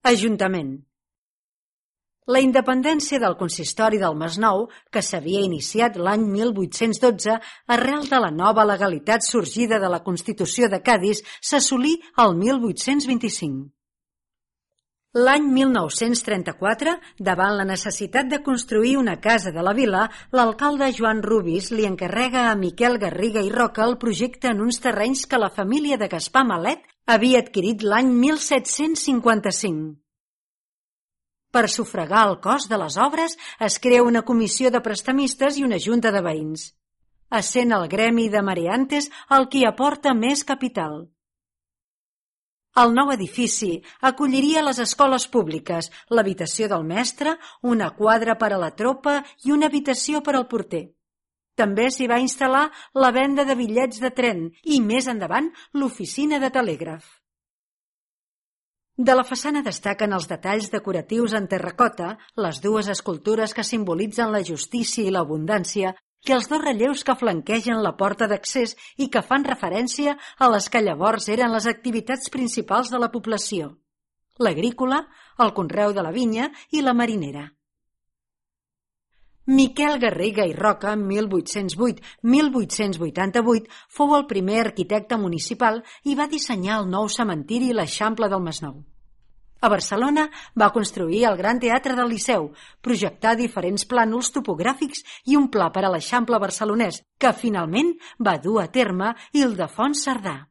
Ajuntament. La independència del consistori del Masnou, que s'havia iniciat l'any 1812 arrel de la nova legalitat sorgida de la Constitució de Cadis, s'assolí el 1825. L'any 1934, davant la necessitat de construir una casa de la vila, l'alcalde Joan Rubis li encarrega a Miquel Garriga i Roca el projecte en uns terrenys que la família de Gaspar Malet havia adquirit l'any 1755. Per sufragar el cost de les obres es crea una comissió de prestamistes i una junta de veïns. Essent el gremi de mareantes el qui aporta més capital. El nou edifici acolliria les escoles públiques, l'habitació del mestre, una quadra per a la tropa i una habitació per al porter. També s'hi va instal·lar la venda de bitllets de tren i, més endavant, l'oficina de telègraf. De la façana destaquen els detalls decoratius en terracota, les dues escultures que simbolitzen la justícia i l'abundància i els dos relleus que flanquegen la porta d'accés i que fan referència a les que llavors eren les activitats principals de la població: l'agrícola, el conreu de la vinya i la marinera. Miquel Garriga i Roca, 1808-1888, fou el primer arquitecte municipal i va dissenyar el nou cementiri i l'Eixample del Masnou. A Barcelona va construir el Gran Teatre del Liceu, projectar diferents plànols topogràfics i un pla per a l'Eixample barcelonès, que finalment va dur a terme Ildefons Cerdà.